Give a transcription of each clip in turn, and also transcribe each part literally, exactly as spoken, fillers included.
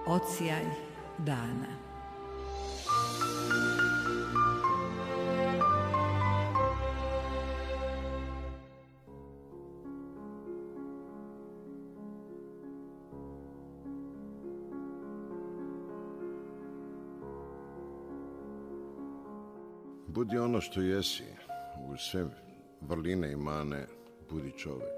Odsjaj dana. Budi ono što jesi, uz sve vrline i mane, budi čovjek.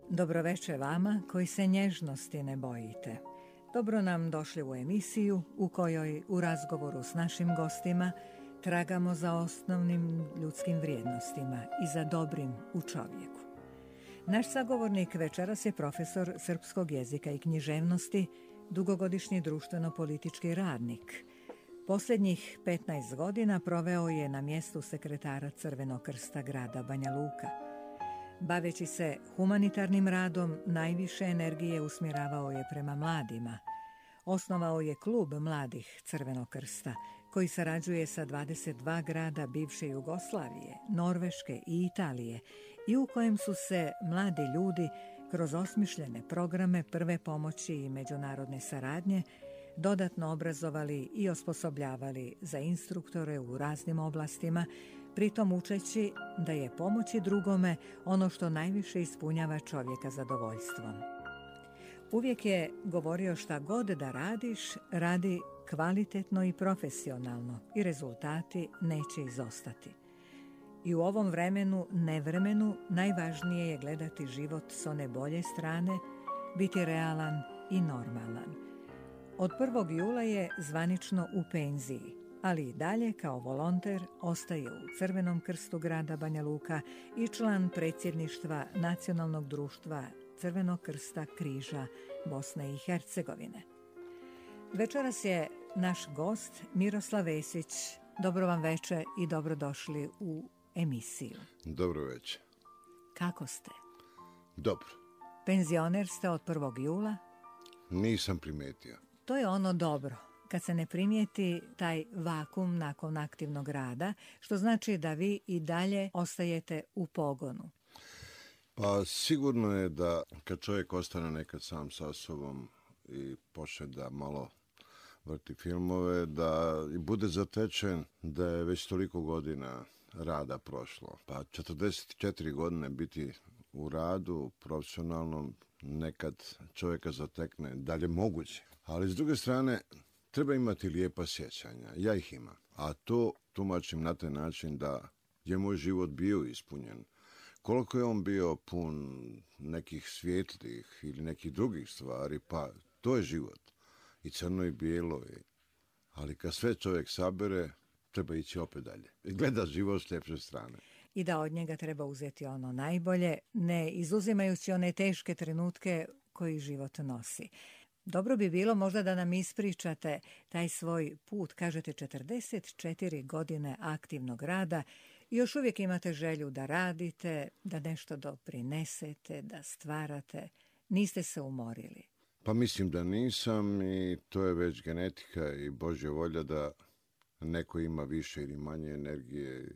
Dobroveče vama koji se nježnosti ne bojite. Dobro nam došli u emisiju u kojoj u razgovoru s našim gostima tragamo za osnovnim ljudskim vrijednostima i za dobrim u čovjeku. Naš sagovornik večeras je profesor srpskog jezika i književnosti, dugogodišnji društveno-politički radnik. Posljednjih petnaest godina proveo je na mjestu sekretara Crvenog krsta grada Banja Luka. Baveći se humanitarnim radom, najviše energije usmjeravao je prema mladima. Osnovao je klub mladih Crvenog krsta, koji sarađuje sa dvadeset dva grada bivše Jugoslavije, Norveške i Italije i u kojem su se mladi ljudi kroz osmišljene programe prve pomoći i međunarodne saradnje dodatno obrazovali i osposobljavali za instruktore u raznim oblastima, pritom učeći da je pomoći drugome ono što najviše ispunjava čovjeka zadovoljstvom. Uvijek je govorio šta god da radiš, radi kvalitetno i profesionalno i rezultati neće izostati. I u ovom vremenu, nevremenu, najvažnije je gledati život s one bolje strane, biti realan i normalan. Od prvog jula je zvanično u penziji, ali i dalje kao volonter ostaje u Crvenom krstu grada Banja Luka i član predsjedništva Nacionalnog društva Crvenog krsta križa Bosne i Hercegovine. Večeras je naš gost Miroslav Vesić. Dobro vam veče i dobrodošli u emisiju. Dobro večer. Kako ste? Dobro. Penzioner ste od prvog jula? Nisam primijetio. To je ono dobro, kad se ne primijeti taj vakum nakon aktivnog rada, što znači da vi i dalje ostajete u pogonu. Pa sigurno je da kad čovjek ostane nekad sam sa sobom i počne da malo vrti filmove, da i bude zatečen da je već toliko godina rada prošlo. Pa četrdeset četiri godine biti u radu, profesionalnom, nekad čovjeka zatekne, da li je moguće. Ali s druge strane, treba imati lijepa sjećanja. Ja ih imam. A to tumačim na taj način da je moj život bio ispunjen. Koliko je on bio pun nekih svjetlih ili nekih drugih stvari, pa to je život. I crno i bijelo. Ali kad sve čovjek sabere, treba ići opet dalje. I gleda život s ljepše strane. I da od njega treba uzeti ono najbolje, ne izuzimajući one teške trenutke koji život nosi. Dobro bi bilo možda da nam ispričate taj svoj put, kažete četrdeset četiri godine aktivnog rada i još uvijek imate želju da radite, da nešto doprinesete, da stvarate. Niste se umorili. Pa mislim da nisam i to je već genetika i Božja volja da neko ima više ili manje energije,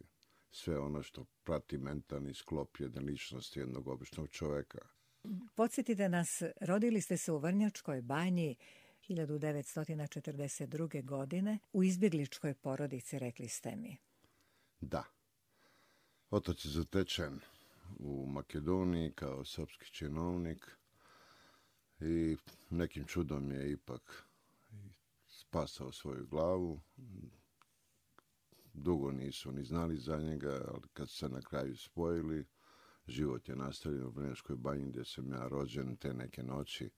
sve ono što prati mentalni sklop jedne ličnosti jednog običnog čovjeka. Podsjetite nas, rodili ste se u Vrnjačkoj Banji hiljadu devetsto četrdeset druge. godine u izbjegličkoj porodici, rekli ste mi. Da. Otac je zatečen u Makedoniji kao srpski činovnik i nekim čudom je ipak spasao svoju glavu. Dugo nisu ni znali za njega, ali kad se na kraju spojili, život je nastavljen u Vrnjačkoj Banji gdje sam ja rođen te neke noći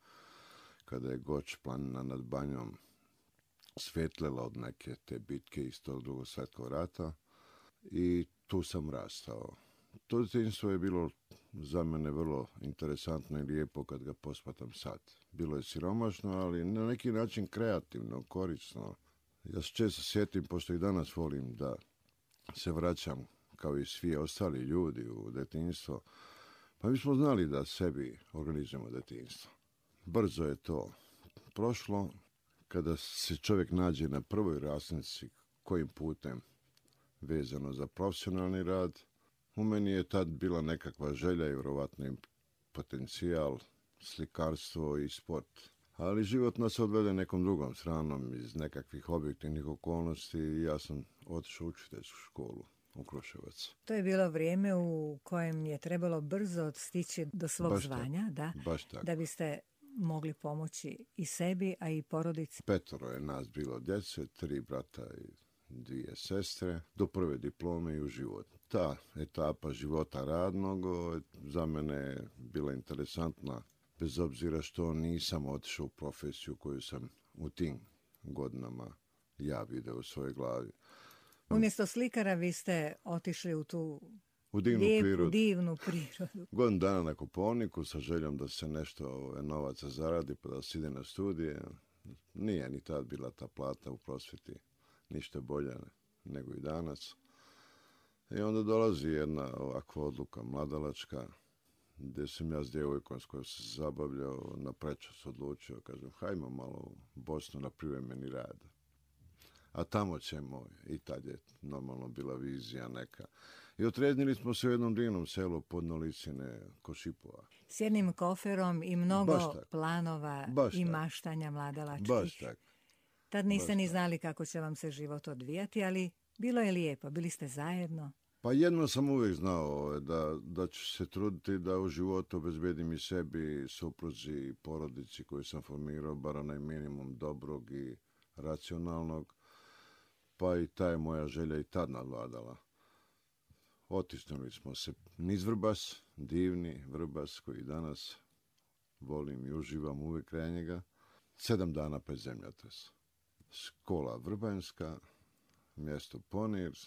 kada je Goč planina nad Banjom svjetlela od neke te bitke iz tog Drugog svjetskog rata i tu sam rastao. To djetinjstvo je bilo za mene vrlo interesantno i lijepo kad ga posmatram sad. Bilo je siromašno, ali na neki način kreativno, korisno. Ja se često sjetim, pošto i danas volim da se vraćam kao i svi ostali ljudi u djetinjstvo, pa mi smo znali da sebi organizujemo djetinjstvo. Brzo je to prošlo, kada se čovjek nađe na prvoj rasnici kojim putem vezano za profesionalni rad, u meni je tad bila nekakva želja i vjerovatno i potencijal, slikarstvo i sport. Ali život nas odvede nekom drugom stranom iz nekakvih objektivnih okolnosti i ja sam otišao u učiteljsku školu u Kruševac. To je bilo vrijeme u kojem je trebalo brzo stići do svog Baš zvanja, tako. da, Baš tako. da biste mogli pomoći i sebi, a i porodici. Petoro je nas bilo djece, tri brata i dvije sestre, do prve diplome i u život. Ta etapa života radnog za mene je bila interesantna, bez obzira što nisam otišao u profesiju koju sam u tim godinama ja vidio u svojoj glavi. Umjesto slikara vi ste otišli u tu U divnu lijepu, prirodu. divnu prirodu. Godinu dana na Kopaoniku sa željom da se nešto novaca zaradi pa da se ide na studije. Nije ni tad bila ta plata u prosvjeti ništa bolja nego i danas. I onda dolazi jedna ovakva odluka mladalačka, gdje sam ja s djevojkom s kojom sam se zabavljao na prečas odlučio, kažem, hajmo malo u Bosnu na privremeni rad. A tamo ćemo, i tad je normalno bila vizija neka. I otreznili smo se u jednom divnom selu pod Nolicine Košipova. S jednim koferom i mnogo planova Baš i tak. maštanja mladalačkih. Baš tako. Tad niste Baš ni tak. znali kako će vam se život odvijati, ali bilo je lijepo, bili ste zajedno. Pa jedno sam uvijek znao da, da ću se truditi da u životu obezbedim i sebi, supruzi i porodici koju sam formirao, bar onaj minimum dobrog i racionalnog. Pa i ta je moja želja i tad nadvladala. Otisnuli smo se niz Vrbas, divni Vrbas koji danas volim i uživam uvijek kraj njega. Sedam dana pred zemljotres. Škola Vrbanjska, mjesto Ponir,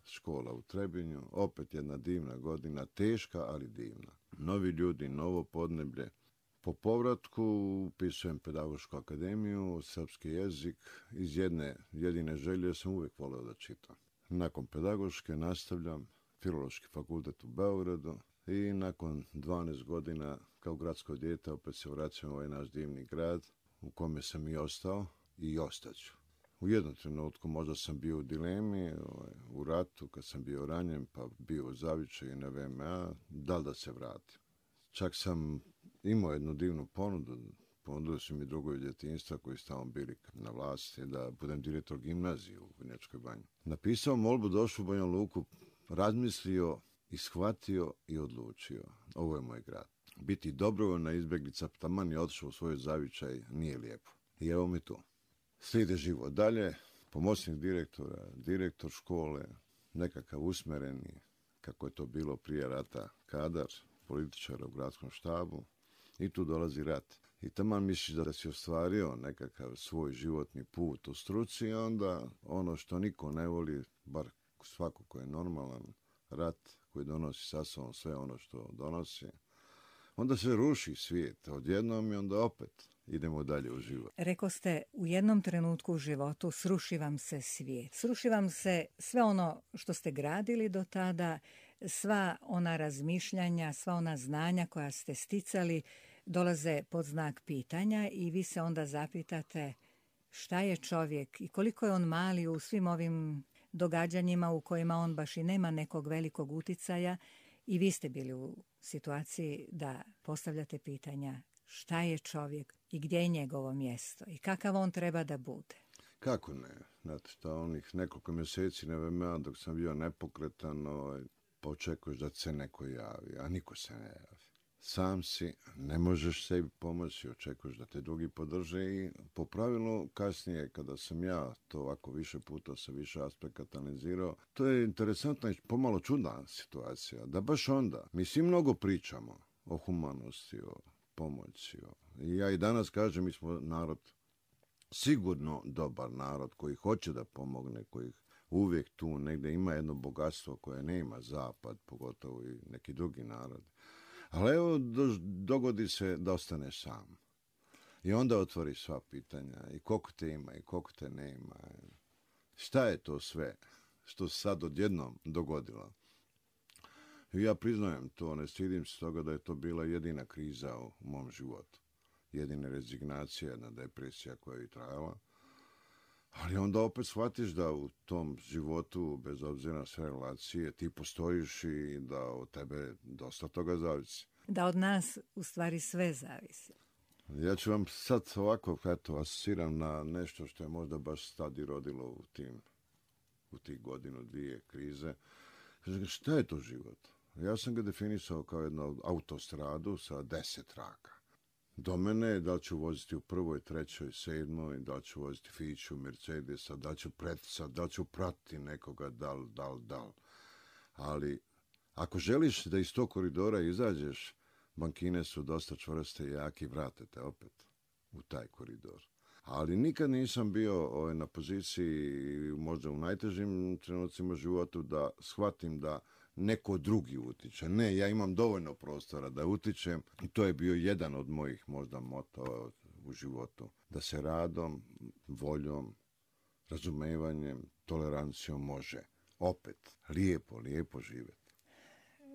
škola u Trebinju, opet jedna divna godina, teška, ali divna. Novi ljudi, novo podneblje. Po povratku upisujem pedagošku akademiju, srpski jezik. Iz jedne jedine želje sam uvijek volio da čitam. Nakon pedagoške nastavljam Filološki fakultet u Beogradu i nakon dvanaest godina kao gradsko dijete opet se vraćam u ovaj naš divni grad u kome sam i ostao i ostaću. U jednom trenutku možda sam bio u dilemi, u ratu, kad sam bio ranjen, pa bio u zavičaju na V M A, da li da se vratim. Čak sam imao jednu divnu ponudu, ponudili su mi drugovi djetinjstva koji su tamo bili na vlasti, da budem direktor gimnazije u Vrnjačkoj Banji. Napisao molbu, došao u Banja Luku, razmislio, ishvatio i odlučio. Ovo je moj grad. Biti dobrovoljna izbjeglica, taman je otišao u svoj zavičaj, nije lijepo. I evo mi tu. Slijede život dalje, pomoćnik direktora, direktor škole, nekakav usmereni, kako je to bilo prije rata, kadar, političara u gradskom štabu i tu dolazi rat. I taman misliš da si ostvario nekakav svoj životni put u struci, onda ono što niko ne voli, bar svako ko je normalan, rat koji donosi sa sobom sve ono što donosi, onda se ruši svijet odjednom i onda opet idemo dalje u život. Reko ste, u jednom trenutku u životu sruši vam se svijet. Sruši vam se sve ono što ste gradili do tada, sva ona razmišljanja, sva ona znanja koja ste sticali dolaze pod znak pitanja i vi se onda zapitate šta je čovjek i koliko je on mali u svim ovim događanjima u kojima on baš i nema nekog velikog uticaja i vi ste bili u situaciji da postavljate pitanja šta je čovjek i gdje je njegovo mjesto i kakav on treba da bude. Kako ne? Znate šta, onih nekoliko mjeseci na V M A dok sam bio nepokretan, ovaj, pa očekuješ da se neko javi, a niko se ne javi. Sam si, ne možeš sebi pomoći, očekuješ da te drugi podrže i po pravilu kasnije kada sam ja to ovako više puta sa više aspekata analizirao, to je interesantna i pomalo čudna situacija, da baš onda, mi svi mnogo pričamo o humanosti, o pomoći. O... I ja i danas kažem, mi smo narod, sigurno dobar narod koji hoće da pomogne, koji uvijek tu negdje ima jedno bogatstvo koje nema zapad, pogotovo i neki drugi narod. Ali evo, do, dogodi se da ostaneš sam. I onda otvori sva pitanja. I koliko te ima, i koliko te nema. Šta je to sve što se sad odjednom dogodilo? I ja priznajem to, ne stidim se toga da je to bila jedina kriza u mom životu. Jedina rezignacija, jedna depresija koja je trajala. Ali onda opet shvatiš da u tom životu, bez obzira na sve relacije, ti postojiš i da od tebe dosta toga zavisi. Da od nas u stvari sve zavisi. Ja ću vam sad ovako, eto, asociram na nešto što je možda baš tad i rodilo u tim, u tih godinu, dvije krize. Kažem, šta je to život? Ja sam ga definisao kao jednu autostradu sa deset traka. Do mene, da li ću voziti u prvoj, trećoj, sedmoj, da li ću voziti Fiću, Mercedesa, da li ću preticati, da li ću pratiti nekoga, da li, da li, da li. Ali ako želiš da iz tog koridora izađeš, bankine su dosta čvrste i jaki, vrate te opet u taj koridor. Ali nikad nisam bio ovaj, na poziciji, možda u najtežim trenucima životu, da shvatim da neko drugi utiče. Ne, ja imam dovoljno prostora da utičem i to je bio jedan od mojih možda motova u životu. Da se radom, voljom, razumevanjem, tolerancijom može opet lijepo, lijepo živjeti.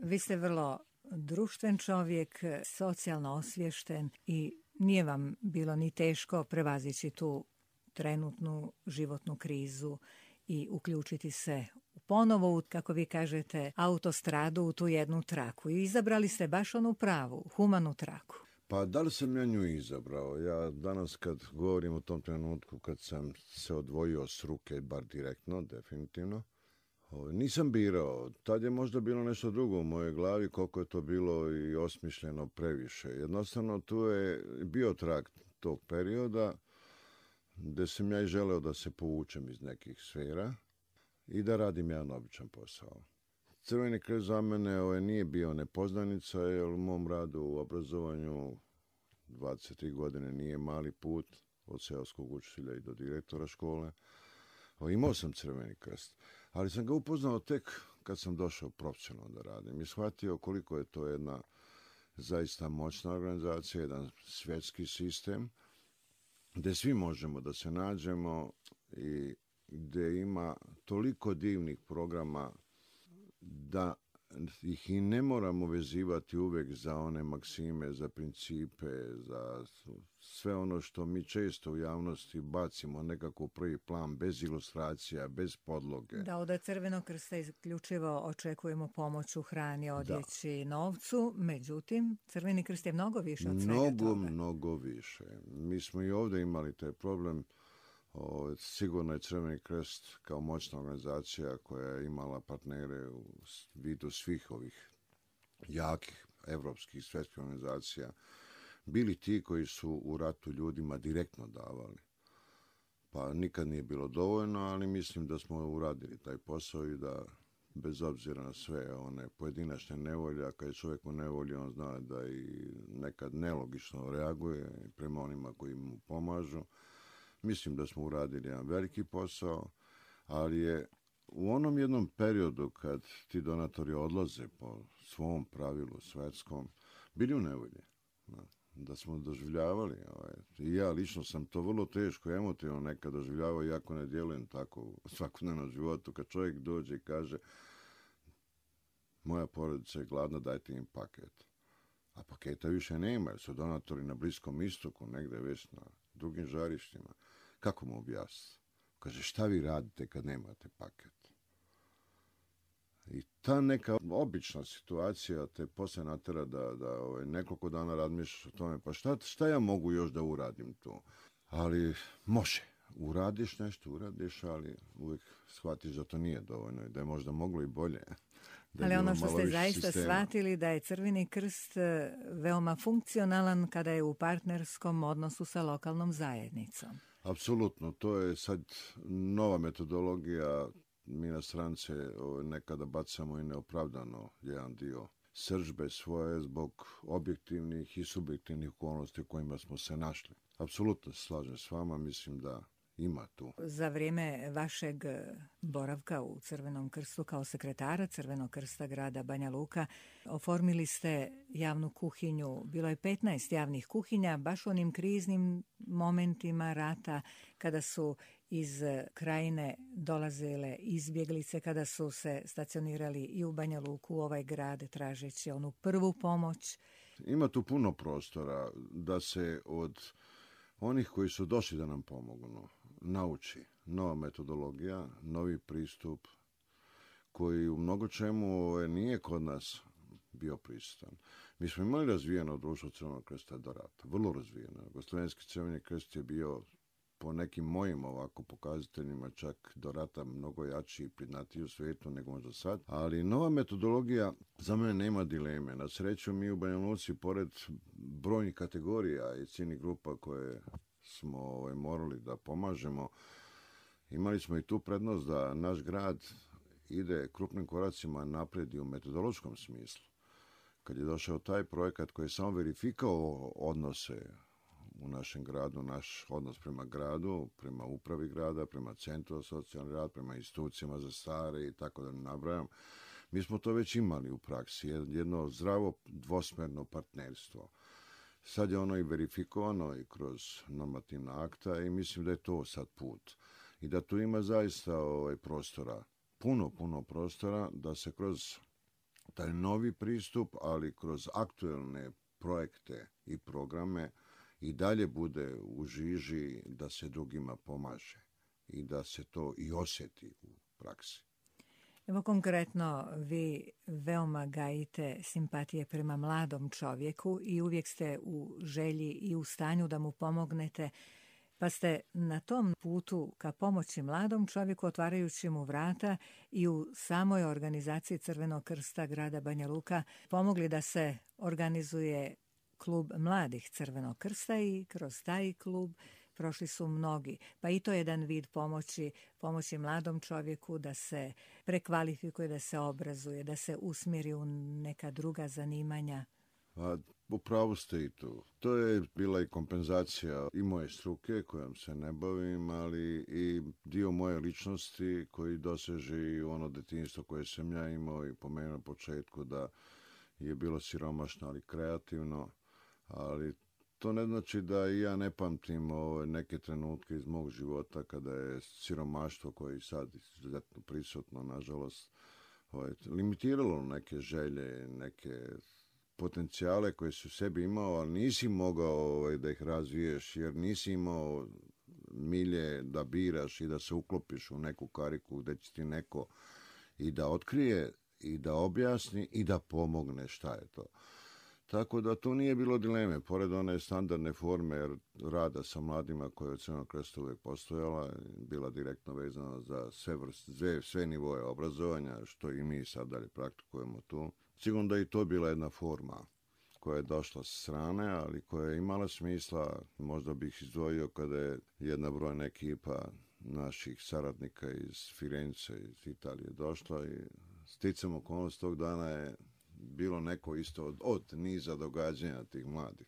Vi ste vrlo društven čovjek, socijalno osviješten i nije vam bilo ni teško prevazići tu trenutnu životnu krizu i uključiti se ponovo u, kako vi kažete, autostradu u tu jednu traku. I izabrali ste baš onu pravu, humanu traku. Pa da li sam ja nju izabrao? Ja danas kad govorim o tom trenutku kad sam se odvojio s ruke, bar direktno, definitivno, nisam birao. Tad je možda bilo nešto drugo u mojoj glavi, koliko je to bilo i osmišljeno previše. Jednostavno tu je bio trag tog perioda gdje sam ja i želeo da se povučem iz nekih sfera i da radim jedan običan posao. Crveni krst za mene ovaj, nije bio nepoznanica, jer u mom radu u obrazovanju dvadeset tri godine nije mali put, od seoskog učitelja i do direktora škole. O, imao sam Crveni krst, ali sam ga upoznao tek kad sam došao profesionalno da radim i shvatio koliko je to jedna zaista moćna organizacija, jedan svjetski sistem, gdje svi možemo da se nađemo i gdje ima toliko divnih programa da ih i ne moramo vezivati uvijek za one maksime, za principe, za sve ono što mi često u javnosti bacimo nekako u prvi plan, bez ilustracija, bez podloge. Da, od Crvenog krsta isključivo očekujemo pomoć u hrani, odjeći, novcu, međutim, Crveni krst je mnogo više od svega mnogo, toga. Mnogo, mnogo više. Mi smo i ovdje imali taj problem. O, sigurno je Crveni krst kao moćna organizacija koja je imala partnere u vidu svih ovih jakih evropskih svjetskih organizacija, bili ti koji su u ratu ljudima direktno davali. Pa nikad nije bilo dovoljno, ali mislim da smo uradili taj posao i da bez obzira na sve one pojedinačne nevolje, a kad je čovjek u nevolji, on zna da i nekad nelogično reaguje prema onima koji mu pomažu. Mislim da smo uradili jedan veliki posao, ali je u onom jednom periodu kad ti donatori odlaze po svom pravilu svetskom, bili u nevolji. Da smo doživljavali, ovaj, i ja lično sam to vrlo teško, emotivno nekad doživljavao, iako ne djelujem tako u svakodnevnom životu, kad čovjek dođe i kaže moja porodica je gladna, dajte im paket. A paketa više nema, jer su donatori na Bliskom istoku, negdje već na drugim žarištima. Kako mu objasniti? Kaže, šta vi radite kad nemate paket? I ta neka obična situacija te poslije natera da, da ovaj, nekoliko dana razmišljaš o tome, pa šta, šta ja mogu još da uradim tu? Ali može. Uradiš nešto, uradiš, ali uvijek shvatiš da to nije dovoljno i da je možda moglo i bolje. Ali ono što ste zaista sistema. Shvatili da je Crveni krst veoma funkcionalan kada je u partnerskom odnosu sa lokalnom zajednicom. Apsolutno, to je sad nova metodologija. Mi na strance nekada bacamo i neopravdano jedan dio srdžbe svoje zbog objektivnih i subjektivnih okolnosti u kojima smo se našli. Apsolutno se slažem s vama, mislim da ima tu. Za vrijeme vašeg boravka u Crvenom krstu kao sekretara Crvenog krsta grada Banja Luka oformili ste javnu kuhinju. Bilo je petnaest javnih kuhinja, baš u onim kriznim momentima rata kada su iz krajine dolazile izbjeglice, kada su se stacionirali i u Banja Luku, u ovaj grad, tražeći onu prvu pomoć. Ima tu puno prostora da se od onih koji su došli da nam pomognu, nauči. Nova metodologija, novi pristup koji u mnogo čemu nije kod nas bio prisutan. Mi smo imali razvijeno društvo Crvenog krsta do rata, vrlo razvijeno. Jugoslavenski Crveni krst je bio po nekim mojim ovako pokazateljima čak do rata mnogo jači i priznatiji u svijetu nego možda sad. Ali nova metodologija za mene nema dileme. Na sreću mi u Banja Luci, pored brojnih kategorija i ciljnih grupa koje smo ovaj, morali da pomažemo, imali smo i tu prednost da naš grad ide krupnim koracima naprijed i u metodološkom smislu. Kad je došao taj projekat koji je samo verifikao odnose u našem gradu, naš odnos prema gradu, prema upravi grada, prema centru za socijalni rad, prema institucijama za stare i tako da ne nabrajam. Mi smo to već imali u praksi, jedno zdravo dvosmerno partnerstvo. Sad je ono i verifikovano i kroz normativna akta i mislim da je to sad put. I da tu ima zaista ovaj prostora, puno, puno prostora da se kroz taj novi pristup, ali kroz aktuelne projekte i programe i dalje bude u žiži da se drugima pomaže i da se to i osjeti u praksi. Evo konkretno, vi veoma gajite simpatije prema mladom čovjeku i uvijek ste u želji i u stanju da mu pomognete, pa ste na tom putu ka pomoći mladom čovjeku, otvarajući mu vrata i u samoj organizaciji Crvenog krsta grada Banja Luka pomogli da se organizuje klub mladih Crvenog krsta i kroz taj klub prošli su mnogi. Pa i to je jedan vid pomoći, pomoći mladom čovjeku da se prekvalifikuje, da se obrazuje, da se usmjeri u neka druga zanimanja. A u pravu ste i tu. To je bila i kompenzacija i moje struke kojom se ne bavim, ali i dio moje ličnosti koji doseže i ono detinjstvo koje sam ja imao i pomenuo na početku da je bilo siromašno, ali kreativno. Ali to ne znači da i ja ne pamtim ove neke trenutke iz mog života kada je siromaštvo koje je sad izuzetno prisutno, nažalost, ovaj, limitiralo neke želje, neke potencijale koje si u sebi imao, ali nisi mogao ovaj, da ih razviješ jer nisi imao milje da biraš i da se uklopiš u neku kariku gdje će ti neko i da otkrije i da objasni i da pomogne šta je to. Tako da tu nije bilo dileme, pored one standardne forme rada sa mladima koja je u Crvenom krstu uvijek postojala, bila direktno vezana za sve, vrste, sve, sve nivoje obrazovanja, što i mi sad dalje praktikujemo tu. Sigurno da i to bila jedna forma koja je došla s strane, ali koja je imala smisla, možda bih izdvojio kada je jedna brojna ekipa naših saradnika iz Firence, iz Italije došla i sticam okolnost tog dana je bilo neko isto od, od niza događanja tih mladih.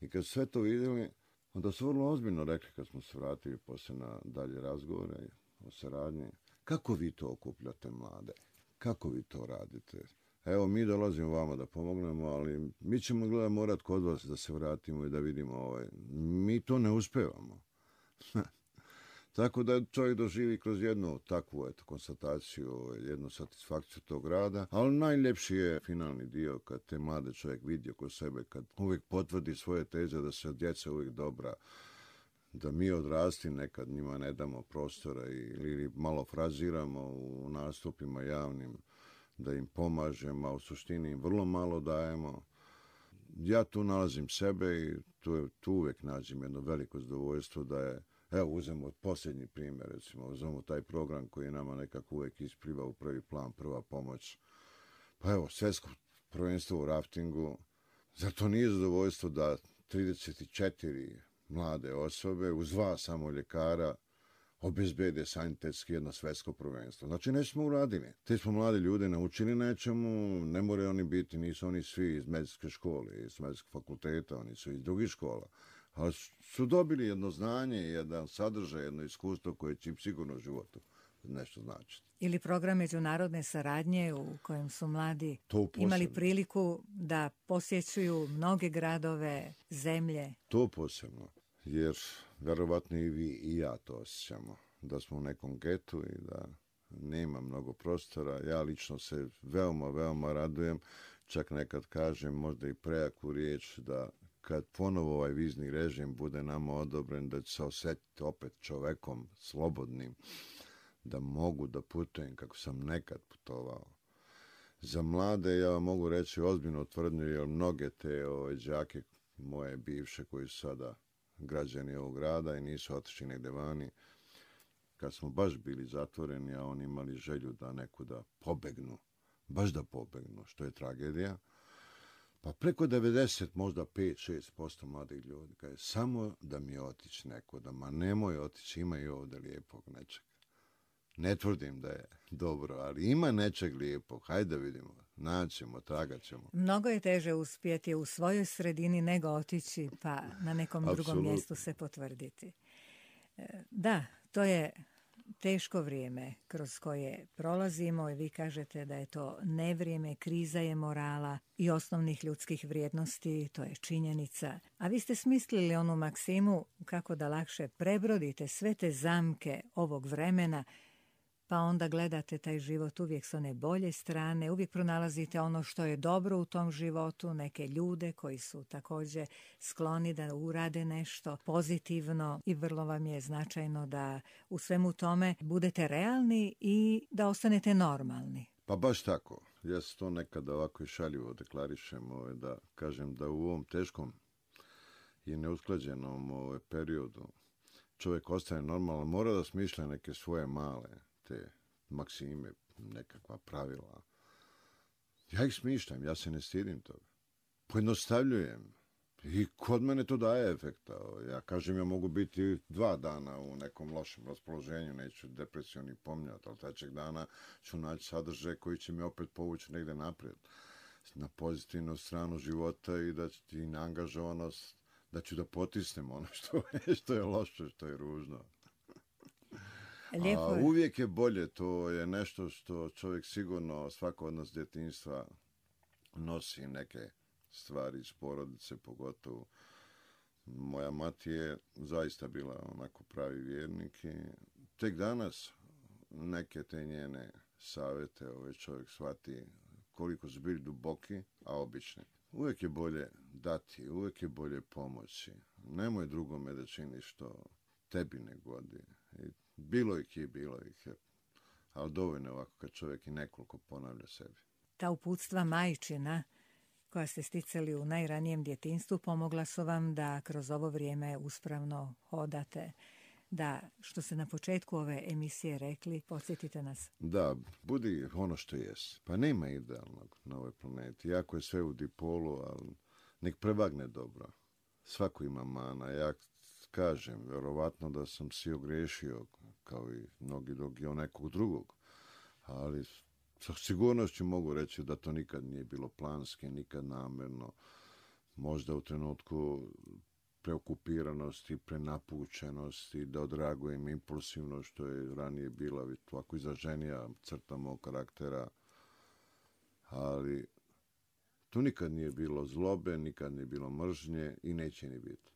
I kad sve to vidjeli, onda su vrlo ozbiljno rekli kad smo se vratili poslije na dalje razgovore o saradnji, kako vi to okupljate mlade? Kako vi to radite? Evo, mi dolazimo vama da pomognemo, ali mi ćemo gleda morat kod vas da se vratimo i da vidimo ovaj. Mi to ne uspevamo. Tako da čovjek doživi kroz jednu takvu eto, konstataciju, jednu satisfakciju tog rada, ali najljepši je finalni dio kad te mlade čovjek vidi oko sebe, kad uvijek potvrdi svoje teze da se djeca uvijek dobra, da mi odrasti nekad njima ne damo prostora ili malo fraziramo u nastupima javnim, da im pomažemo, a u suštini im vrlo malo dajemo. Ja tu nalazim sebe i tu, tu uvijek nađem jedno veliko zadovoljstvo da je. Evo, uzmemo posljednji primjer, recimo, uzmemo taj program koji nama nekako uvijek ispliva u prvi plan, prva pomoć. Pa evo, svjetsko prvenstvo u raftingu. Zar to nije zadovoljstvo da trideset četiri mlade osobe uz dva samo ljekara obezbede sanitetski jedno svjetsko prvenstvo? Znači, nešto smo uradili. Te smo mlade ljude naučili nečemu, ne moraju oni biti, nisu oni svi iz medicinske škole, iz medicinskog fakulteta, oni su iz drugih škola. Ali su dobili jedno znanje, jedan sadržaj, jedno iskustvo koje će im sigurno u životu nešto značiti. Ili program međunarodne saradnje u kojem su mladi imali priliku da posjećuju mnoge gradove, zemlje. To posebno, jer verovatno i vi i ja to osjećamo, da smo u nekom getu i da nema mnogo prostora. Ja lično se veoma, veoma radujem, čak nekad kažem možda i prejaku riječ da kad ponovo ovaj vizni režim bude nama odobren, da će se osjetiti opet čovekom slobodnim, da mogu da putujem kako sam nekad putovao. Za mlade ja vam mogu reći ozbiljno tvrdnju, jer mnoge te ove đake moje bivše koji su sada građani ovog grada i nisu otišli negde vani, kad smo baš bili zatvoreni, a oni imali želju da nekuda pobegnu, baš da pobegnu, što je tragedija, pa preko devedeset, možda pet do šest posto mladih ljudi, kaže, samo da mi otići nekuda, ma nemoj otići, ima i ovdje lijepog nečega. Ne tvrdim da je dobro, ali ima nečeg lijepog, hajde da vidimo, naćemo, tragat ćemo. Mnogo je teže uspjeti u svojoj sredini nego otići, pa na nekom drugom Apsolutno. mjestu se potvrditi. Da, to je teško vrijeme kroz koje prolazimo i vi kažete da je to nevrijeme, kriza je morala i osnovnih ljudskih vrijednosti, to je činjenica. A vi ste smislili onu maksimu kako da lakše prebrodite sve te zamke ovog vremena, pa onda gledate taj život uvijek s one bolje strane, uvijek pronalazite ono što je dobro u tom životu, neke ljude koji su također skloni da urade nešto pozitivno i vrlo vam je značajno da u svemu tome budete realni i da ostanete normalni. Pa baš tako. Ja se to nekada ovako i šaljivo deklarišem, ovaj, da kažem da u ovom teškom i neusklađenom ovaj, periodu čovjek ostaje normalan, mora da smišlja neke svoje male te maksime, nekakva pravila. Ja ih smišljam, ja se ne stidim toga. Pojednostavljujem. I kod mene to daje efekta. Ja kažem, ja mogu biti dva dana u nekom lošem raspoloženju, neću depresiju ni pomnjati, ali trećeg dana ću naći sadržaj koji će mi opet povući negde naprijed. Na pozitivnu stranu života i da ću ti neangažovanost, da ću da potisnem ono što je, što je loše, što je ružno. Lijepo A je. uvijek je bolje, to je nešto što čovjek sigurno, svako od nas djetinjstva nosi neke stvari iz porodice, pogotovo. Moja mati je zaista bila onako pravi vjernik i tek danas neke te njene savjete ovaj čovjek shvati koliko su bili duboki, a obični. Uvijek je bolje dati, uvijek je bolje pomoći. Nemoj drugome da čini što tebi ne godi. I bilo ih je, bilo ih je. Ali dovoljno je ovako kad čovjek i nekoliko ponavlja sebi. Ta uputstva majčina koja ste sticali u najranijem djetinjstvu pomogla su vam da kroz ovo vrijeme uspravno hodate, da, što ste na početku ove emisije rekli, podsjetite nas. Da, budi ono što jesi. Pa nema idealnog na ovoj planeti. Jako je sve u dipolu, ali nek prevagne dobro. Svako ima mana. Ja kažem, verovatno da sam si ogrešio, kao i mnogi drugi, o nekog drugog. Ali sa sigurnošću mogu reći da to nikad nije bilo planski, nikad namjerno. Možda u trenutku preokupiranosti, prenapučenosti, da odreagujem impulsivno, što je ranije bila ovako izraženija crta mog karaktera. Ali tu nikad nije bilo zlobe, nikad nije bilo mržnje i neće ni biti.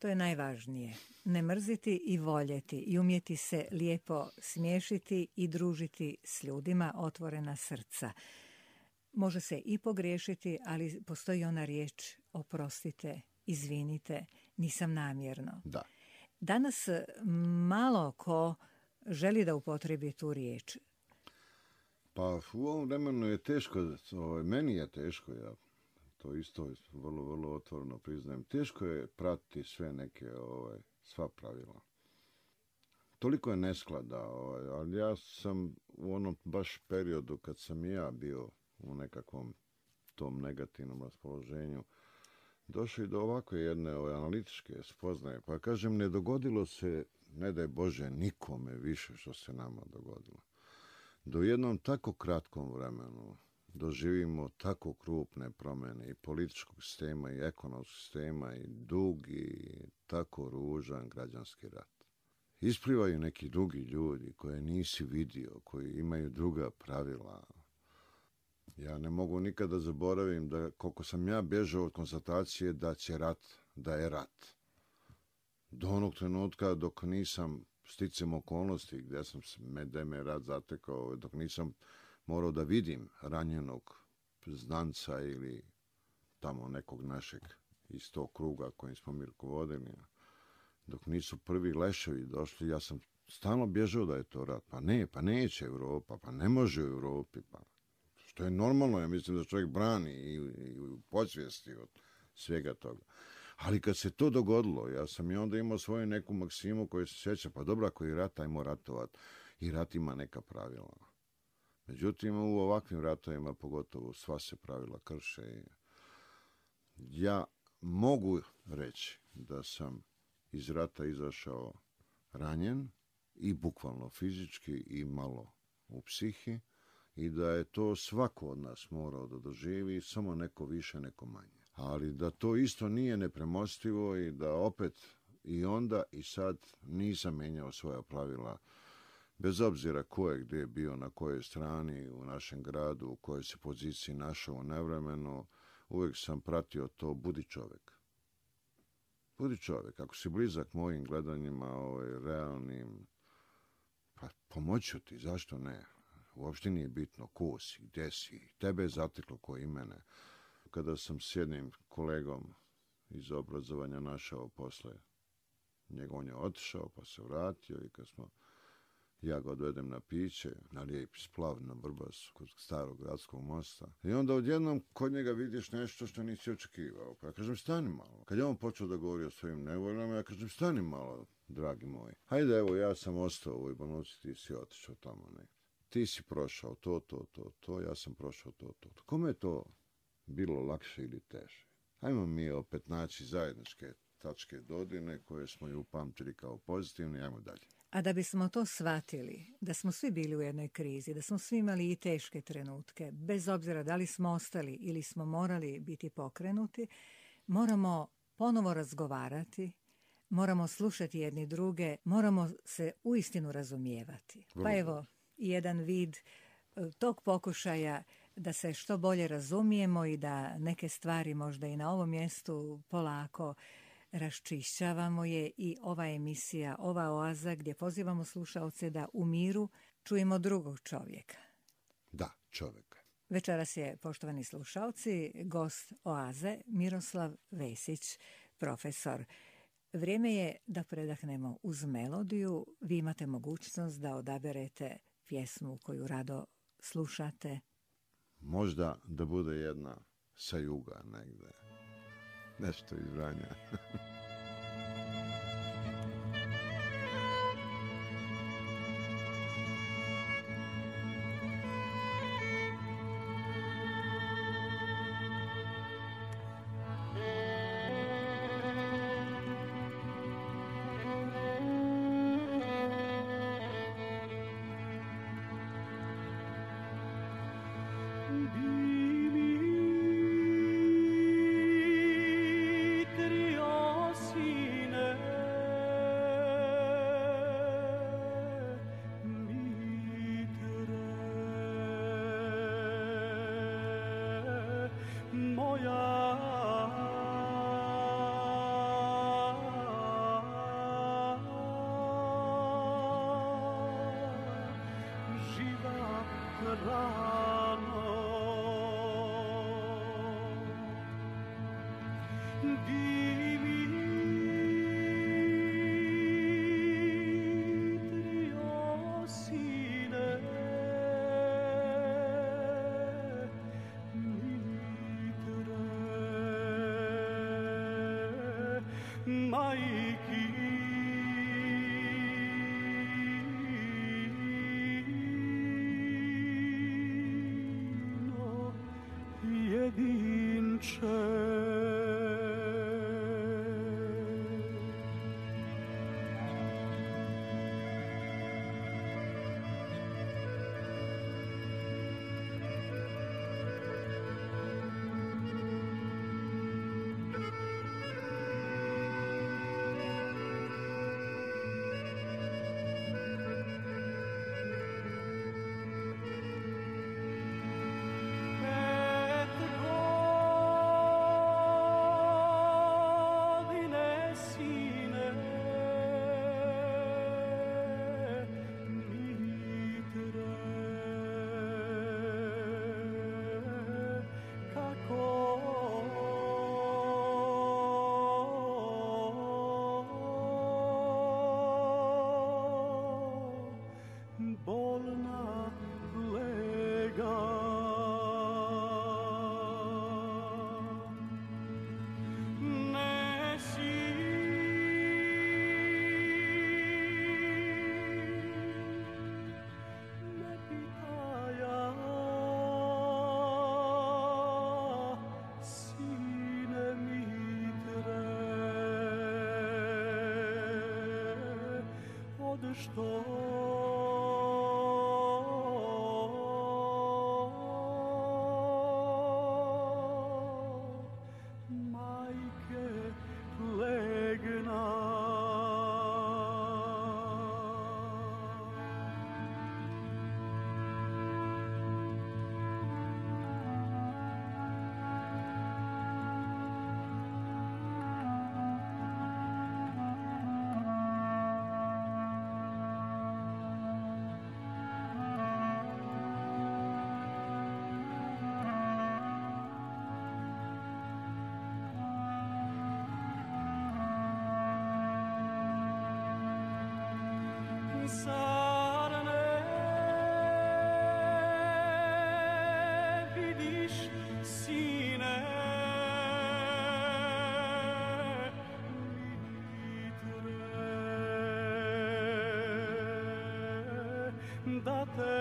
To je najvažnije. Ne mrziti i voljeti i umjeti se lijepo smiješiti i družiti s ljudima, otvorena srca. Može se i pogriješiti, ali postoji ona riječ oprostite, izvinite, nisam namjerno. Da. Danas malo ko želi da upotrebi tu riječ. Pa u ovom vremenu je teško, ovaj, meni je teško, ja to isto vrlo, vrlo otvoreno priznajem. Teško je pratiti sve neke, ovaj, sva pravila. Toliko je nesklada, ovaj, ali ja sam u onom baš periodu kad sam i ja bio u nekakvom tom negativnom raspoloženju, došao i do ovakve jedne ovaj, analitičke spoznaje. Pa kažem, ne dogodilo se, ne daj Bože, nikome više što se nama dogodilo. Do jednom tako kratkom vremenu doživimo tako krupne promjene i političkog sistema i ekonomskog sistema i dugi, tako ružan građanski rat. Isplivaju neki drugi ljudi koje nisi vidio, koji imaju druga pravila. Ja ne mogu nikada zaboravim da koliko sam ja bježao od konstatacije da će rat, da je rat. Do onog trenutka dok nisam sticam okolnosti gdje sam da me rat zatekao, dok nisam morao da vidim ranjenog znanca ili tamo nekog našeg iz tog kruga kojim smo mi rukovodili. Dok nisu prvi leševi došli, ja sam stalno bježao da je to rat. Pa ne, pa neće Europa, pa ne može u Europi. Pa. Što je normalno, ja mislim da čovjek brani i, i u podsvijesti od svega toga. Ali kad se to dogodilo, ja sam i onda imao svoju neku maksimu koju se sjeća, pa dobro, ako je rat, ajmo ratovat. I rat ima neka pravila. Međutim, u ovakvim ratovima, pogotovo, sva se pravila krše. Ja mogu reći da sam iz rata izašao ranjen, i bukvalno fizički, i malo u psihi, i da je to svako od nas morao da doživi, samo neko više, neko manje. Ali da to isto nije nepremostivo i da opet i onda i sad nisam menjao svoja pravila, bez obzira ko je gdje bio, na kojoj strani u našem gradu, u kojoj se poziciji našao u nevremenu, uvijek sam pratio to, budi čovjek. Budi čovjek, ako si blizak mojim gledanjima, ovaj, realnim, pa pomoću ti, zašto ne? Uopšte nije bitno ko si, gdje si, tebe je zateklo ko i mene. Kada sam s jednim kolegom iz obrazovanja našao posle, njega on je otišao pa se vratio i kad smo, ja ga odvedem na piće, na lijepi splav na Vrbasu, kod starog gradskog mosta. I onda odjednom kod njega vidiš nešto što nisi očekivao. Pa ja kažem, stani malo. Kad je on počeo da govori o svojim nevoljama, ja kažem, stani malo, dragi moji. Hajde, evo, ja sam ostao u ovoj bolnici, ti si otišao tamo negdje. Ti si prošao to, to, to, to, ja sam prošao to, to, to. Kome je to bilo lakše ili teže? Hajmo mi opet naći zajedničke tačke dodirne koje smo ju upamtili kao pozitivne, ajmo dalje. A da bismo to shvatili, da smo svi bili u jednoj krizi, da smo svi imali i teške trenutke, bez obzira da li smo ostali ili smo morali biti pokrenuti, moramo ponovo razgovarati, moramo slušati jedni druge, moramo se uistinu razumijevati. Pa evo, jedan vid tog pokušaja da se što bolje razumijemo i da neke stvari možda i na ovom mjestu polako raščišćavamo je i ova emisija, ova oaza gdje pozivamo slušaoce da u miru čujemo drugog čovjeka. Da, čovjeka. Večeras je, poštovani slušaoci, gost oaze Miroslav Vesić, profesor. Vrijeme je da predahnemo uz melodiju. Vi imate mogućnost da odaberete pjesmu koju rado slušate. Možda da bude jedna sa juga negde. Nešto iz Vranja. jedinče. što majke legna. Zar ne vidiš, sine, litre, da te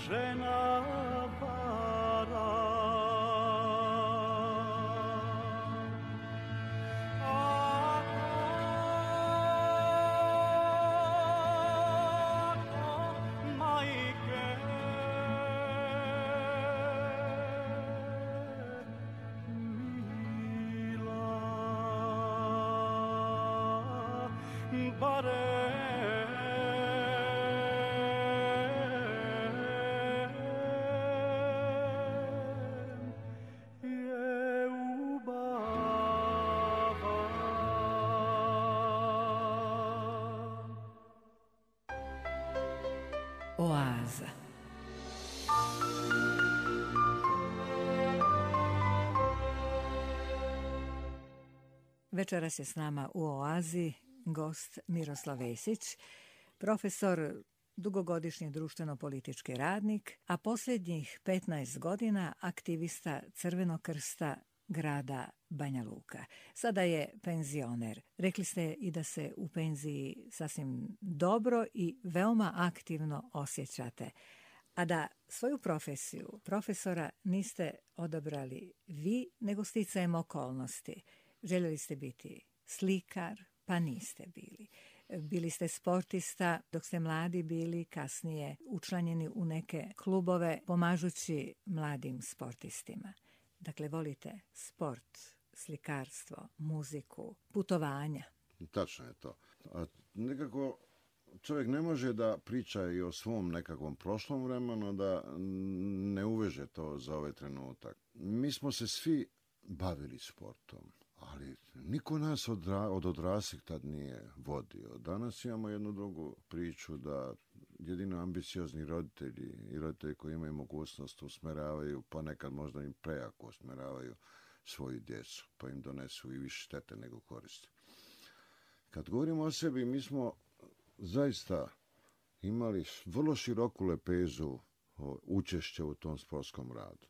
žena vara. Oaza. Večeras je s nama u Oazi gost Miroslav Vesić, profesor, dugogodišnji društveno-politički radnik, a posljednjih petnaest godina aktivista Crvenog krsta grada Banja Luka. Sada je penzioner. Rekli ste i da se u penziji sasvim dobro i veoma aktivno osjećate, a da svoju profesiju profesora niste odabrali vi, nego sticajem okolnosti. Željeli ste biti slikar, pa niste bili. Bili ste sportista dok ste mladi bili, kasnije učlanjeni u neke klubove, pomažući mladim sportistima. Dakle, volite sport, slikarstvo, muziku, putovanja. Tačno je to. A nekako čovjek ne može da priča i o svom nekakvom prošlom vremenu, da ne uveže to za ovaj trenutak. Mi smo se svi bavili sportom, ali niko nas od, od odraslih tad nije vodio. Danas imamo jednu drugu priču da jedino ambiciozni roditelji i roditelji koji imaju mogućnost usmeravaju, pa nekad možda im prejako usmeravaju svoju djecu, pa im donesu i više štete nego koristi. Kad govorimo o sebi, mi smo zaista imali vrlo široku lepezu učešća u tom sportskom radu.